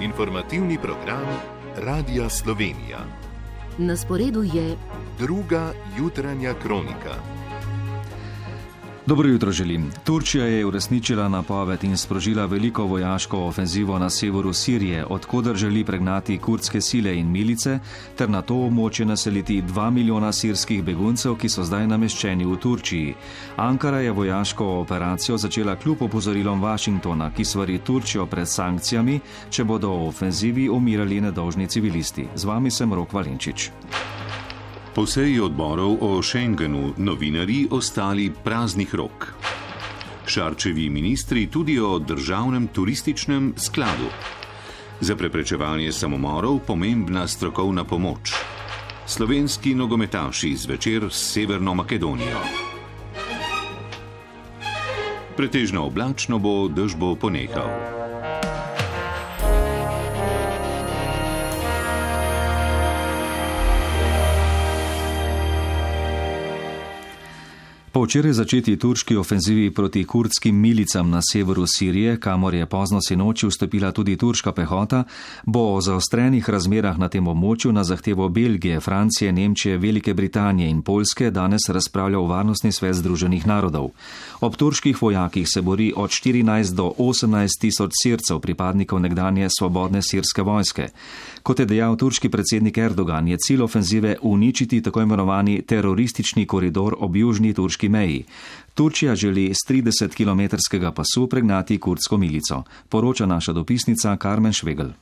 Informativni program Radia Slovenija. Na sporedu je druga jutranja kronika. Dobro jutro želim. Turčija je uresničila napoved in sprožila veliko vojaško ofenzivo na severu Sirije, odkoder želi pregnati kurdske sile in milice, ter na to območje naseliti 2 milijona sirskih beguncev, ki so zdaj nameščeni v Turčiji. Ankara je vojaško operacijo začela kljub opozorilom Washingtona, ki svari Turčijo pred sankcijami, če bodo v ofenzivi umirali nedolžni civilisti. Z vami sem Rok Valenčič. Po seji odborov o Schengenu novinarji ostali praznih rok. Šarčevi ministri tudi o državnem turističnem skladu. Za preprečevanje samomorov pomembna strokovna pomoč. Slovenski nogometaši zvečer s Severno Makedonijo. Pretežno oblačno bo, dež bo ponehal. Po včeraj začeti turški ofenzivi proti kurdskim milicam na severu Sirije, kamor je pozno sinoči vstopila tudi turška pehota, bo o zaostrenih razmerah na tem območju na zahtevo Belgije, Francije, Nemčije, Velike Britanije in Poljske danes razpravljal Varnostni svet Združenih narodov. Ob turških vojakih se bori od 14 do 18 tisoč Sircev, pripadnikov nekdanje svobodne sirske vojske. Kot je dejal turški predsednik Erdogan, je cilj ofenzive uničiti tako imenovani teroristični koridor ob južni turški meji. Turčija želi s 30-kilometrskega pasu pregnati kurdsko milico, poroča naša dopisnica Karmen Švegel.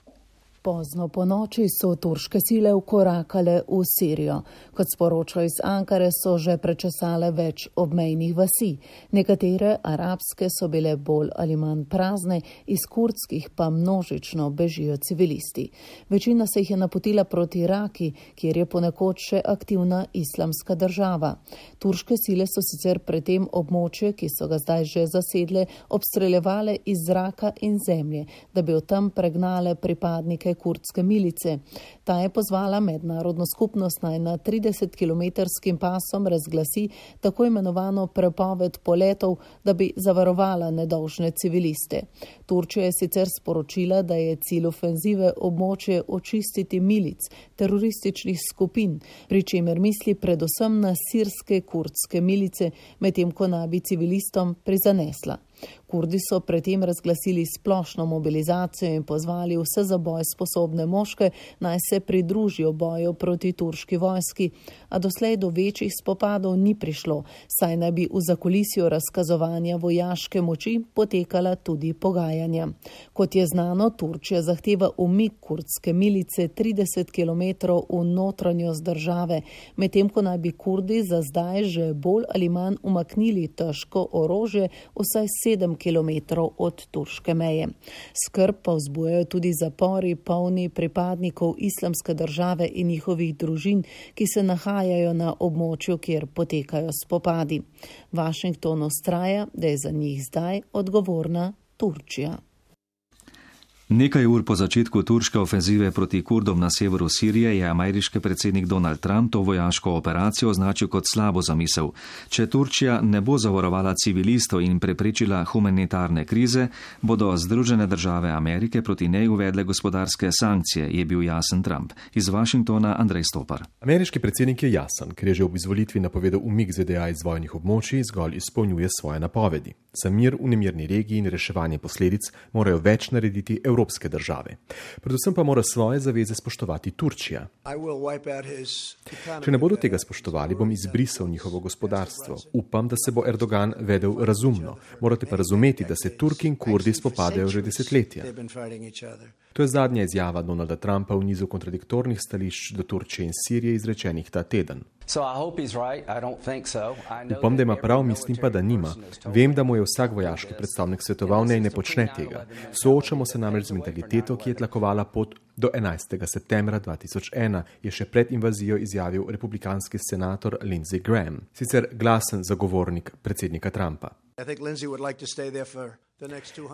Pozno po noči so turške sile vkorakale v Sirijo. Kot sporočajo iz Ankare, so že prečesale več obmejnih vasi. Nekatere arabske so bile bolj ali manj prazne, iz kurdskih pa množično bežijo civilisti. Večina se jih je napotila proti Raki, kjer je ponekod še aktivna islamska država. Turške sile so sicer pred tem območje, ki so ga zdaj že zasedle, obstreljevale iz zraka in zemlje, da bi od tam pregnale pripadnike kurdske milice. Ta je pozvala mednarodno skupnost naj na 30-kilometrskim pasom razglasi tako imenovano prepoved poletov, da bi zavarovala nedolžne civiliste. Turčija je sicer sporočila, da je cilj ofenzive območje očistiti milic, terorističnih skupin, pri čemer misli predvsem na sirske kurdske milice, medtem ko naj bi civilistom prizanesla. Kurdi so predtem razglasili splošno mobilizacijo in pozvali vse za boj sposobne moške, naj se pridružijo boju proti turški vojski, a doslej do večjih spopadov ni prišlo, saj naj bi v zakulisju razkazovanja vojaške moči potekala tudi pogajanja. Kot je znano, Turčija zahteva umik kurdske milice 30 km v notranjost države, medtem ko naj bi Kurdi za zdaj že bolj ali manj umaknili težko orožje vsaj 7 kilometrov od turške meje. Skrb pa vzbujajo tudi zapori polni pripadnikov islamske države in njihovih družin, ki se nahajajo na območju, kjer potekajo spopadi. Washington vztraja, da je za njih zdaj odgovorna Turčija. Nekaj ur po začetku turške ofenzive proti Kurdom na severu Sirije je ameriški predsednik Donald Trump to vojaško operacijo označil kot slabo zamisel. Če Turčija ne bo zavarovala civilistov in preprečila humanitarne krize, bodo Združene države Amerike proti njej uvedle gospodarske sankcije, je bil jasen Trump. Iz Washingtona Andrej Stopar. Ameriški predsednik je jasen, ker je že ob izvolitvi napovedal umik ZDA iz vojnih območij, zgolj izpolnjuje svoje napovedi. Za mir v nemirni regiji in reševanje posledic morajo več narediti evropske države. Predvsem pa mora svoje zaveze spoštovati Turčija. Če ne bodo tega spoštovali, bom izbrisal njihovo gospodarstvo. Upam, da se bo Erdogan vedel razumno. Morate pa razumeti, da se Turki in Kurdi spopadajo že desetletja. To je zadnja izjava Donalda Trumpa v nizu kontradiktornih stališč do Turčije in Sirije izrečenih ta teden. Upam, da ima prav, mislim pa, da nima. Vem, da mu je vsak vojaški predstavnik svetoval, naj ne počne tega. Soočamo se namreč z mentaliteto, ki je tlakovala pot do 11. septembra 2001, je še pred invazijo izjavil republikanski senator Lindsey Graham, sicer glasen zagovornik predsednika Trumpa.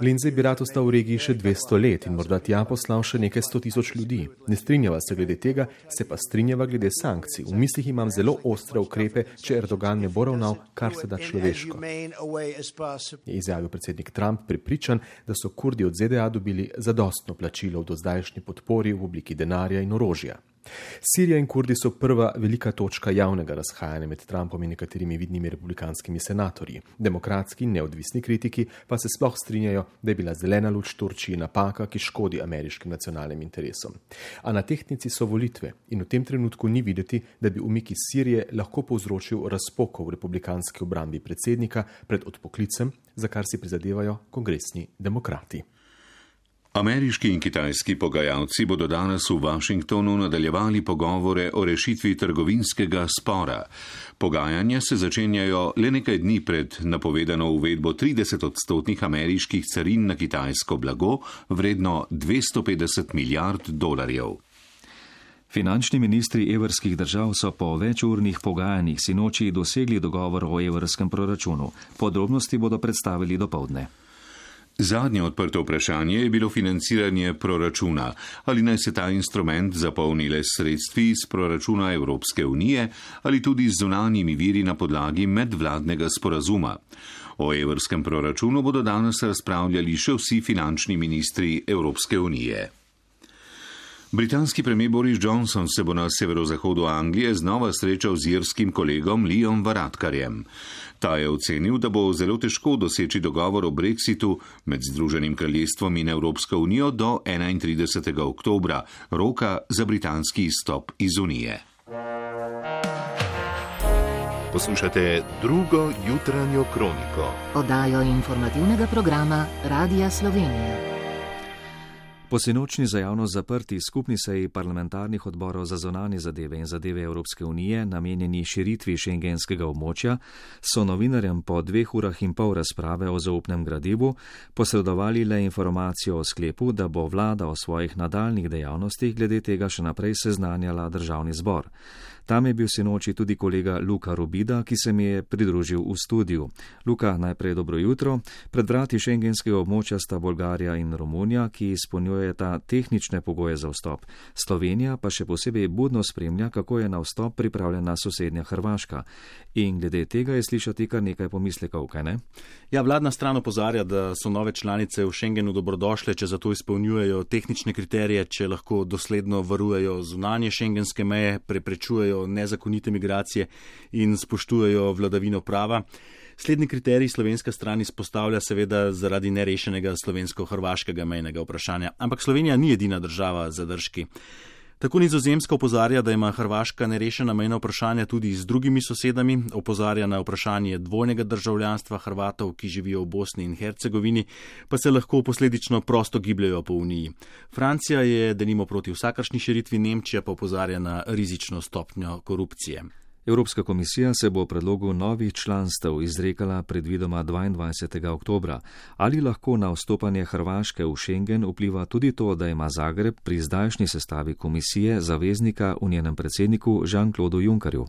Lindsey bi rad ostal v regiji še 200 let in morda tja poslal še nekaj 100,000 ljudi. Ne strinjava se glede tega, se pa strinjava glede sankcij. V mislih imam zelo ostre ukrepe, če Erdogan ne bo ravnal kar se da človeško. Je izjavil predsednik Trump, prepričan, da so Kurdi od ZDA dobili zadostno plačilo v dozdajšnji podpori v obliki denarja in orožja. Sirija in Kurdi so prva velika točka javnega razhajanja med Trumpom in nekaterimi vidnimi republikanskimi senatorji. Demokratski in neodvisni kritiki pa se sploh strinjajo, da je bila zelena luč Turčiji napaka, ki škodi ameriškim nacionalnim interesom. A na tehtnici so volitve in v tem trenutku ni videti, da bi umik iz Sirije lahko povzročil razpoko v republikanski obrambi predsednika pred odpoklicem, za kar si prizadevajo kongresni demokrati. Ameriški in kitajski pogajalci bodo danes v Washingtonu nadaljevali pogovore o rešitvi trgovinskega spora. Pogajanja se začenjajo le nekaj dni pred napovedano uvedbo 30% ameriških carin na kitajsko blago, vredno $250 milijard. Finančni ministri evrskih držav so po večurnih pogajanjih sinoči dosegli dogovor o evrskem proračunu. Podrobnosti bodo predstavili dopoldne. Zadnje odprto vprašanje je bilo financiranje proračuna. Ali naj se ta instrument zapolni le s sredstvi iz proračuna Evropske unije ali tudi z zunanjimi viri na podlagi medvladnega sporazuma. O evrskem proračunu bodo danes razpravljali še vsi finančni ministri Evropske unije. Britanski premijer Boris Johnson se bo na severozahodu Anglije znova srečal z irskim kolegom Liam Varadkarjem. Ta je ocenil, da bo zelo težko doseči dogovor o Brexitu med Združenim kraljestvom in Evropsko unijo do 31. oktobra, roka za britanski izstop iz Unije. Poslušate drugo jutranjo kroniko. Oddajo informativnega programa Radia Slovenija. Po sinočnji za javnost zaprti skupni seji parlamentarnih odborov za zunanje zadeve in zadeve Evropske unije, namenjeni širitvi šengenskega območja, so novinarjem po 2 urah in pol razprave o zaupnem gradivu posredovali le informacijo o sklepu, da bo vlada o svojih nadaljnih dejavnostih glede tega še naprej seznanjala državni zbor. Tam je bil sinoči tudi kolega Luka Robida, ki se mi je pridružil v studiu. Luka, najprej dobro jutro. Pred vrati šengenskega območja sta Bolgarija in Romunija, ki izpolnjujeta tehnične pogoje za vstop. Slovenija pa še posebej budno spremlja, kako je na vstop pripravljena sosednja Hrvaška. In glede tega je slišati kar nekaj pomislekov, kaj ne? Ja, vladna stran opozarja, da so nove članice v Schengenu dobrodošle, če zato izpolnjujejo tehnične kriterije, če lahko dosledno varujejo zunanje šengenske meje, preprečujejo nezakonite migracije in spoštujejo vladavino prava. Slednji kriterij slovenska stran izpostavlja seveda zaradi nerešenega slovensko-hrvaškega mejnega vprašanja. Ampak Slovenija ni edina država z zadržki. Tako Nizozemska opozarja, da ima Hrvaška nerešena mejna vprašanja tudi z drugimi sosedami, opozarja na vprašanje dvojnega državljanstva Hrvatov, ki živijo v Bosni in Hercegovini, pa se lahko posledično prosto gibljajo po Uniji. Francija je denimo proti vsakršni širitvi, Nemčija pa opozarja na rizično stopnjo korupcije. Evropska komisija se bo o predlogu novih članstev izrekala predvidoma 22. oktobra. Ali lahko na vstopanje Hrvaške v Schengen vpliva tudi to, da ima Zagreb pri zdajšnji sestavi komisije zaveznika v njenem predsedniku Jean-Claude Junckerju?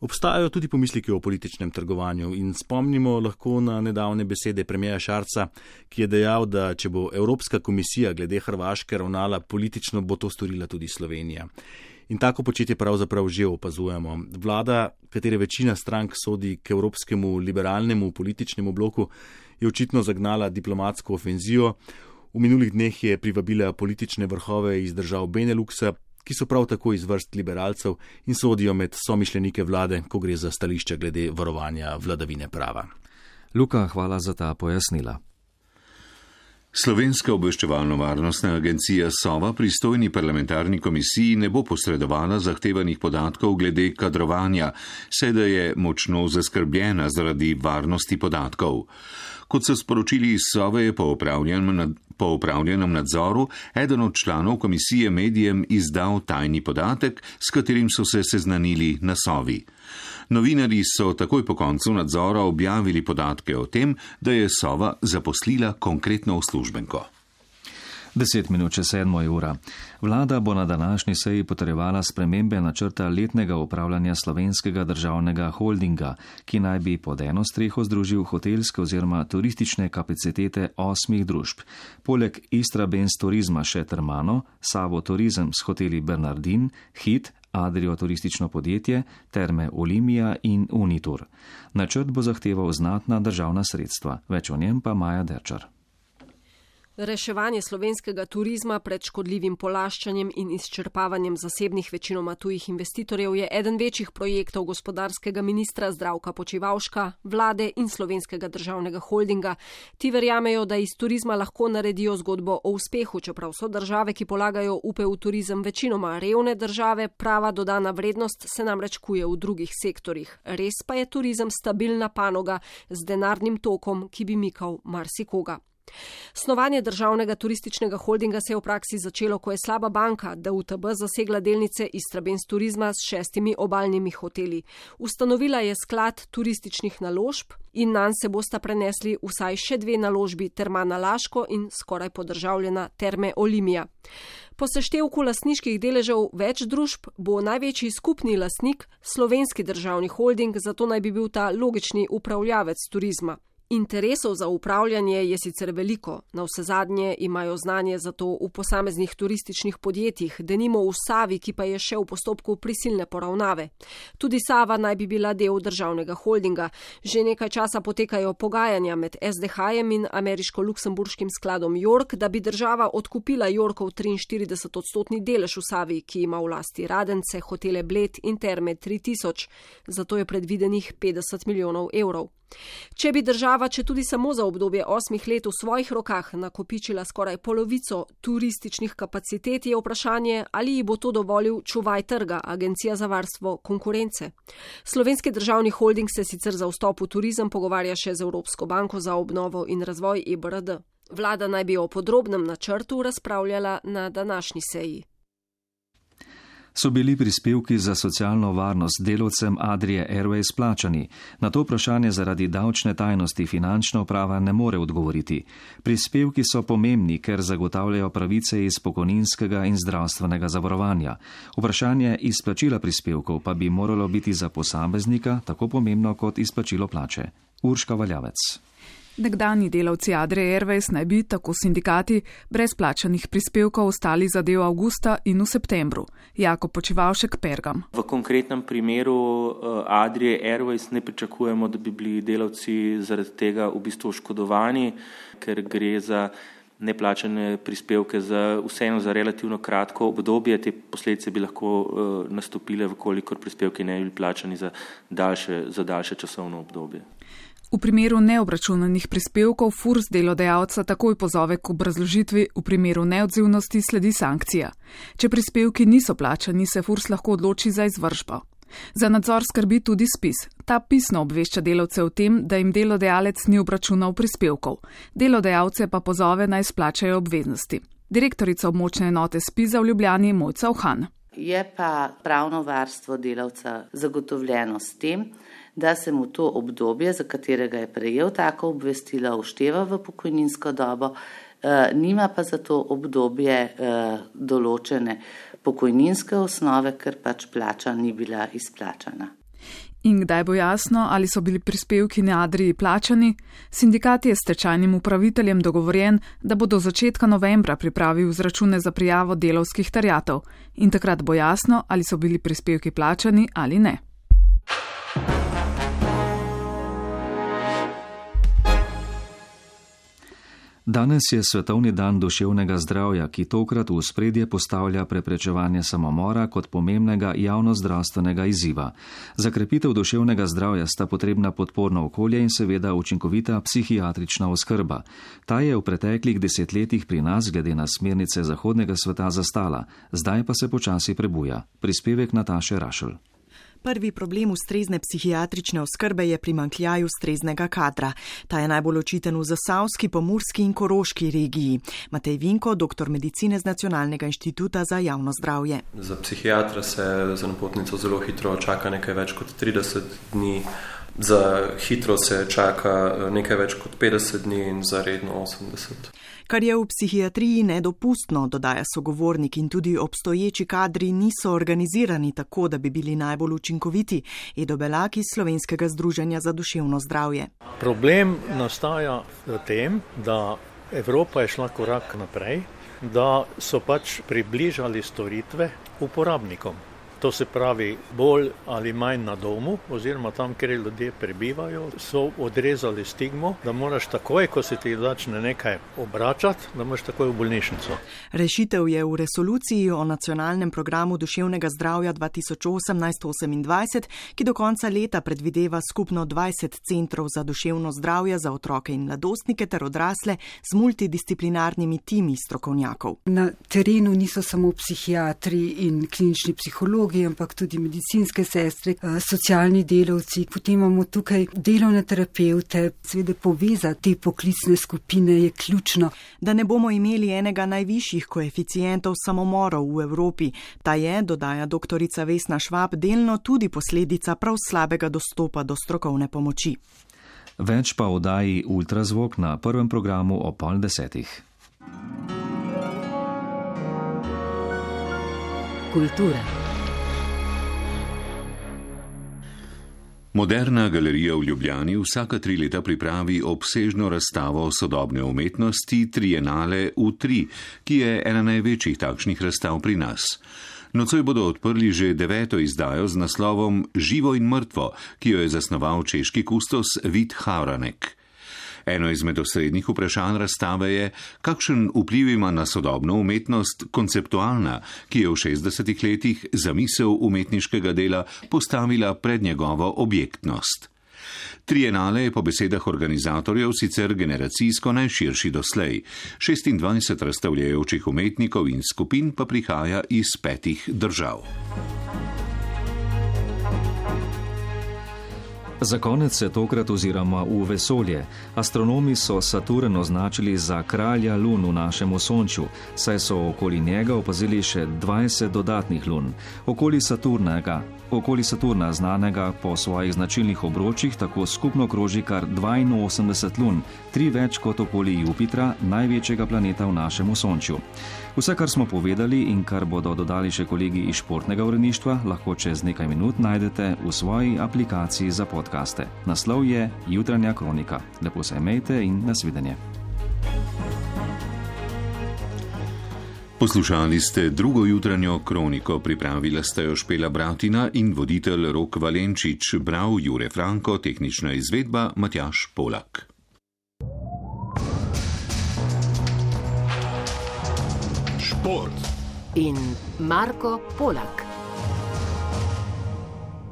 Obstajajo tudi pomisleki o političnem trgovanju in spomnimo lahko na nedavne besede premierja Šarca, ki je dejal, da če bo Evropska komisija glede Hrvaške ravnala politično, bo to storila tudi Slovenija. In tako početje pravzaprav že opazujemo. Vlada, katere večina strank sodi k evropskemu liberalnemu političnemu bloku, je očitno zagnala diplomatsko ofenzijo. V minulih dneh je privabila politične vrhove iz držav Beneluxa, ki so prav tako iz vrst liberalcev in sodijo med somišljenike vlade, ko gre za stališča glede varovanja vladavine prava. Luka, hvala za ta pojasnila. Slovenska obveščevalno-varnostna agencija Sova pristojni parlamentarni komisiji ne bo posredovala zahtevanih podatkov glede kadrovanja, saj da je močno zaskrbljena zaradi varnosti podatkov. Kot so sporočili iz Sove, je po opravljenem nadzoru eden od članov komisije medijem izdal tajni podatek, s katerim so se seznanili na Sovi. Novinarji so takoj po koncu nadzora objavili podatke o tem, da je Sova zaposlila konkretno uslužbenko. 7:10. Vlada bo na današnji seji potrjevala spremembe načrta letnega upravljanja Slovenskega državnega holdinga, ki naj bi pod eno streho združil hotelske oziroma turistične kapacitete 8 družb. Poleg Istrabenz turizma še Termano, Savo turizem s hoteli Bernardin, Hit, Adrio turistično podjetje, Terme Olimia in Unitur. Načrt bo zahteval znatna državna sredstva. Več o njem pa Maja Derčar. Reševanje slovenskega turizma pred škodljivim polaščanjem in izčrpavanjem zasebnih večinoma tujih investitorjev je eden večjih projektov gospodarskega ministra Zdravka Počivalška, vlade in Slovenskega državnega holdinga. Ti verjamejo, da iz turizma lahko naredijo zgodbo o uspehu, čeprav so države, ki polagajo upe v turizem, večinoma revne države, prava dodana vrednost se namreč kuje v drugih sektorjih. Res pa je turizem stabilna panoga z denarnim tokom, ki bi mikal marsikoga. Snovanje državnega turističnega holdinga se je v praksi začelo, ko je slaba banka DUTB zasegla delnice Istrabenz turizma s 6 obalnimi hoteli. Ustanovila je sklad turističnih naložb in nanj se bosta prenesli vsaj še 2 naložbi, Termana Laško in skoraj podržavljena Terme Olimia. Po seštevku lastniških deležev več družb bo največji skupni lastnik Slovenski državni holding, zato naj bi bil ta logični upravljavec turizma. Interesov za upravljanje je sicer veliko, navsezadnje imajo znanje za to v posameznih turističnih podjetjih, denimo v Savi, ki pa je še v postopku prisilne poravnave. Tudi Sava naj bi bila del državnega holdinga. Že nekaj časa potekajo pogajanja med SDH-jem in ameriško-luksemburškim skladom York, da bi država odkupila Yorkov 43% delež v Savi, ki ima v lasti Radence, hotele Bled in Terme 3000, zato je predvidenih 50 milijonov evrov. Če bi država, če tudi samo za obdobje 8 let v svojih rokah nakopičila skoraj polovico turističnih kapacitet, je vprašanje, ali ji bo to dovolil čuvaj trga, Agencija za varstvo konkurence. Slovenski državni holding se sicer za vstop v turizem pogovarja še z Evropsko banko za obnovo in razvoj EBRD. Vlada naj bi o podrobnem načrtu razpravljala na današnji seji. So bili prispevki za socialno varnost delavcem Adrie Airways plačani? Na to vprašanje zaradi davčne tajnosti finančna uprava ne more odgovoriti. Prispevki so pomembni, ker zagotavljajo pravice iz pokojninskega in zdravstvenega zavarovanja. Vprašanje izplačila prispevkov pa bi moralo biti za posameznika tako pomembno kot izplačilo plače. Urška Valjavec. Nekdanji delavci Adrie Airways naj bi, tako sindikati, brez plačanih prispevkov ostali za del avgusta in v septembru. Jakob Počivalšek, Pergam. V konkretnem primeru Adrie Airways ne pričakujemo, da bi bili delavci zaradi tega v bistvu oškodovani, ker gre za neplačane prispevke vseeno za relativno kratko obdobje. Te posledice bi lahko nastopile, vkolikor prispevki ne bi bili plačani za daljše časovno obdobje. V primeru neobračunanih prispevkov FURS delodajalca takoj pozove k obrazložitvi, v primeru neodzivnosti sledi sankcija. Če prispevki niso plačani, se FURS lahko odloči za izvršbo. Za nadzor skrbi tudi ZPIZ. Ta pisno obvešča delavce o tem, da jim delodajalec ni obračunal prispevkov. Delodajalce pa pozove naj splačajo obveznosti. Direktorica območne enote ZPIZ v Ljubljani Mojca Uhan. Je pa pravno varstvo delavca zagotovljeno s tem, da se mu to obdobje, za katerega je prejel tako obvestilo, všteva v pokojninsko dobo, nima pa za to obdobje določene pokojninske osnove, ker pač plača ni bila izplačana. In kdaj bo jasno, ali so bili prispevki na Adrii plačani? Sindikat je s stečajnim upraviteljem dogovorjen, da bo do začetka novembra pripravil izračune za prijavo delavskih terjatev. In takrat bo jasno, ali so bili prispevki plačani ali ne. Danes je svetovni dan duševnega zdravja, ki tokrat v ospredje postavlja preprečevanje samomora kot pomembnega javnozdravstvenega izziva. Za krepitev duševnega zdravja sta potrebna podporno okolje in seveda učinkovita psihiatrična oskrba. Ta je v preteklih desetletjih pri nas glede na smernice zahodnega sveta zastala, zdaj pa se počasi prebuja. Prispevek Nataše Rašl. Prvi problem ustrezne psihiatrične oskrbe je primanjkljaj ustreznega kadra. Ta je najbolj očiten v Zasavski, Pomurski in Koroški regiji. Matej Vinko, doktor medicine z Nacionalnega inštituta za javno zdravje. Za psihiatra se za napotnico zelo hitro čaka nekaj več kot 30 dni. Za hitro se čaka nekaj več kot 50 dni in za redno 80. Kar je v psihiatriji nedopustno, dodaja sogovornik, in tudi obstoječi kadri niso organizirani tako, da bi bili najbolj učinkoviti. Edo Belak iz Slovenskega združenja za duševno zdravje. Problem nastaja v tem, da Evropa je šla korak naprej, da so približali storitve uporabnikom. To se pravi, bolj ali manj na domu, oziroma tam, kjer ljudje prebivajo, so odrezali stigmo, da moraš takoj, ko se ti začne nekaj obračati, da moraš takoj v bolnišnico. Rešitev je v resoluciji o nacionalnem programu duševnega zdravja 2018-2028, ki do konca leta predvideva skupno 20 centrov za duševno zdravje za otroke in mladostnike ter odrasle z multidisciplinarnimi timi strokovnjakov. Na terenu niso samo psihiatri in klinični psihologi, ampak tudi medicinske sestre, socialni delavci. Potem imamo tukaj delovne terapevte. Seveda povezati te poklicne skupine je ključno. Da ne bomo imeli enega najvišjih koeficientov samomorov v Evropi. Ta je, dodaja doktorica Vesna Švab, delno tudi posledica prav slabega dostopa do strokovne pomoči. Več pa v oddaji Ultrazvok na prvem programu o 9:30. Kultura. Moderna galerija v Ljubljani vsaka 3 leta pripravi obsežno razstavo sodobne umetnosti Trienale U3, ki je ena največjih takšnih razstav pri nas. Nocoj bodo odprli že 9. izdajo z naslovom Živo in mrtvo, ki jo je zasnoval češki kustos Vít Havranek. Eno izmed osrednjih vprašanj razstave je, kakšen vpliv ima na sodobno umetnost konceptualna, ki je v 60 letih zamisel umetniškega dela postavila pred njegovo objektnost. Trienale je po besedah organizatorjev sicer generacijsko najširši doslej. 26 razstavljajočih umetnikov in skupin pa prihaja iz 5 držav. Za konec se tokrat oziramo v vesolje. Astronomi so Saturn označili za kralja lun v našem osončju, saj so okoli njega opazili še 20 dodatnih lun. Okoli Saturna, znanega po svojih značilnih obročih, tako skupno kroži kar 82 lun, 3 več kot okoli Jupitra, največjega planeta v našem osončju. Vse, kar smo povedali in kar bodo dodali še kolegi iz športnega uredništva, lahko čez nekaj minut najdete v svoji aplikaciji za podcaste. Naslov je Jutranja kronika. Lepo se imejte in nasvidenje. Poslušali ste drugo jutranjo kroniko, pripravila sta jo Špela Bratina in voditelj Rok Valenčič, bral Jure Franko, tehnična izvedba Matjaž Polak. Šport in Marko Polak.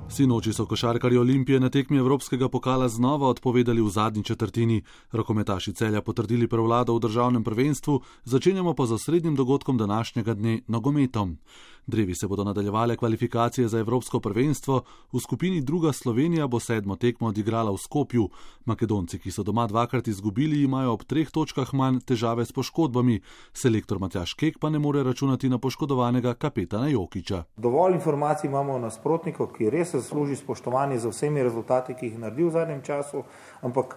Sinoči so košarkarji Olimpije na tekmi Evropskega pokala znova odpovedali v zadnji četrtini. Rokometaši Celja potrdili prevlado v državnem prvenstvu, začenjamo pa z osrednjim dogodkom današnjega dne, nogometom. Drevi se bodo nadaljevale kvalifikacije za Evropsko prvenstvo, v skupini druga Slovenija bo 7. tekmo odigrala v Skopju. Makedonci, ki so doma 2-krat izgubili, imajo ob 3 točkah manj težave s poškodbami. Selektor Matjaž Kek pa ne more računati na poškodovanega kapetana Jokića. Dovolj informacij imamo o nasprotniku, ki res zasluži spoštovanje za vsemi rezultati, ki jih naredi v zadnjem času, ampak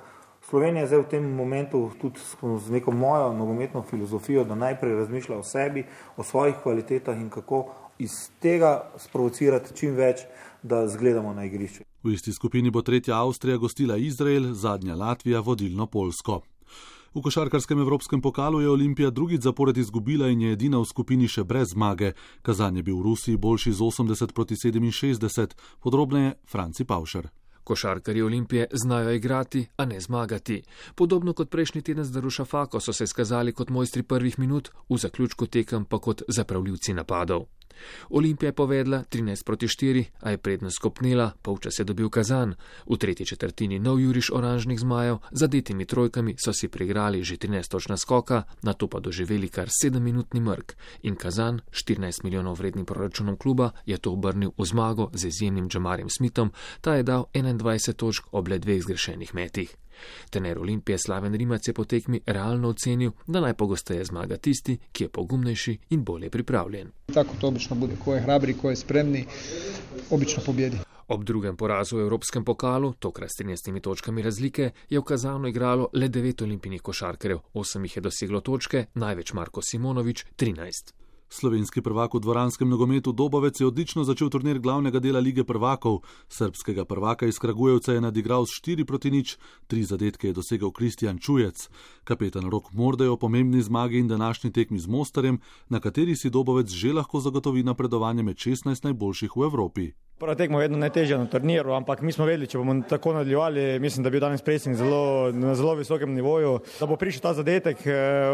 Slovenija je zdaj v tem momentu tudi z neko mojo nogometno filozofijo, da najprej razmišlja o sebi, o svojih kvalitetah in kako iz tega sprovocirati čim več, da zgledamo na igrišče. V isti skupini bo 3. Avstrija gostila Izrael, zadnja Latvija vodilno Poljsko. V košarkarskem evropskem pokalu je Olimpija drugič zapored izgubila in je edina v skupini še brez zmage. Kazan je bil v Rusiji boljši z 80-67, podrobneje Franci Pavšer. Košarkarji Olimpije znajo igrati, a ne zmagati. Podobno kot prejšnji teden z Darušafako so se skazali kot mojstri prvih minut, v zaključku tekem pa kot zapravljivci napadov. Olimpija je povedla 13-4, a je prednost skopnila, polčas je dobil Kazan. V tretji četrtini nov juriš oranžnih zmajev, zadetimi trojkami so si priigrali že 13 točk naskoka, nato pa doživeli kar 7-minutni mrk. In Kazan, 14 milijonov vrednim proračunom kluba, je to obrnil v zmago z izjemnim Džamarjem Smithom, ta je dal 21 točk ob le 2 zgrešenih metih. Trener Olimpije Slaven Rimac je po tekmi realno ocenil, da najpogosteje zmaga tisti, ki je pogumnejši in bolje pripravljen. Tako to obično bude, ko je hrabri, ko je spremni, obično pobjedi. Ob drugem porazu v Evropskem pokalu, tokrat s 13 točkami razlike, je v Kazanu igralo le 9 olimpijskih košarkarjev, 8 jih je doseglo točke, največ Marko Simonovič 13. Slovenski prvak v dvoranskem nogometu Dobovec je odlično začel turnir glavnega dela Lige prvakov. Srbskega prvaka iz Kragujevca je nadigral s 4-0, 3 zadetke je dosegel Kristjan Čujec. Kapetan Rok Morde je o pomembni zmagi in današnji tekmi z Mostarjem, na kateri si Dobovec že lahko zagotovi napredovanje med 16 najboljših v Evropi. Prva tekma je vedno najtežja na turniru, ampak mi smo vedeli, če bomo tako nadaljevali, mislim, da bi bil danes pressing na zelo visokem nivoju, da bo prišel ta zadetek,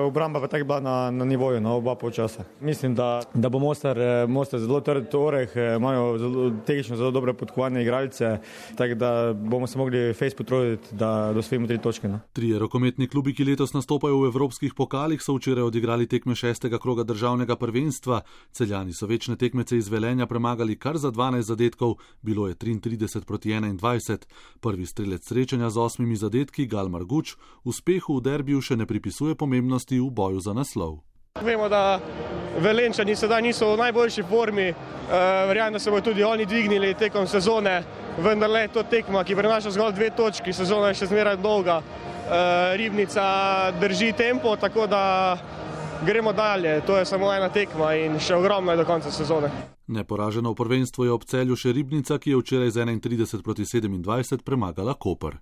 obramba pa tako bila na nivoju, na oba polčasa. Mislim, da bo Mostar zelo trd oreh, imajo tehnično zelo dobre podkovane igralce, tako da bomo se mogli fejs potruditi, da dosvojimo 3 točke. No. 3 rokometni klubi, ki letos nastopajo v evropskih pokalih, so včeraj odigrali tekme 6. kroga državnega prvenstva. Celjani so večne tekmece iz Velenja premagali kar za 12 zadetkov. Bilo je 33-21. Prvi strelec srečanja z 8 zadetki, Gal Marguč, uspehu v derbiju še ne pripisuje pomembnosti v boju za naslov. Vemo, da Velenčani sedaj niso v najboljši formi, verjamem, da se bodo tudi oni dvignili tekom sezone, vendar le to tekma, ki prinaša zgolj 2 točki, sezona je še zmeraj dolga, Ribnica drži tempo, tako da gremo dalje, to je samo ena tekma in še ogromno je do konca sezone. Neporaženo v prvenstvu je ob Celju še Ribnica, ki je včeraj z 31-27 premagala Koper.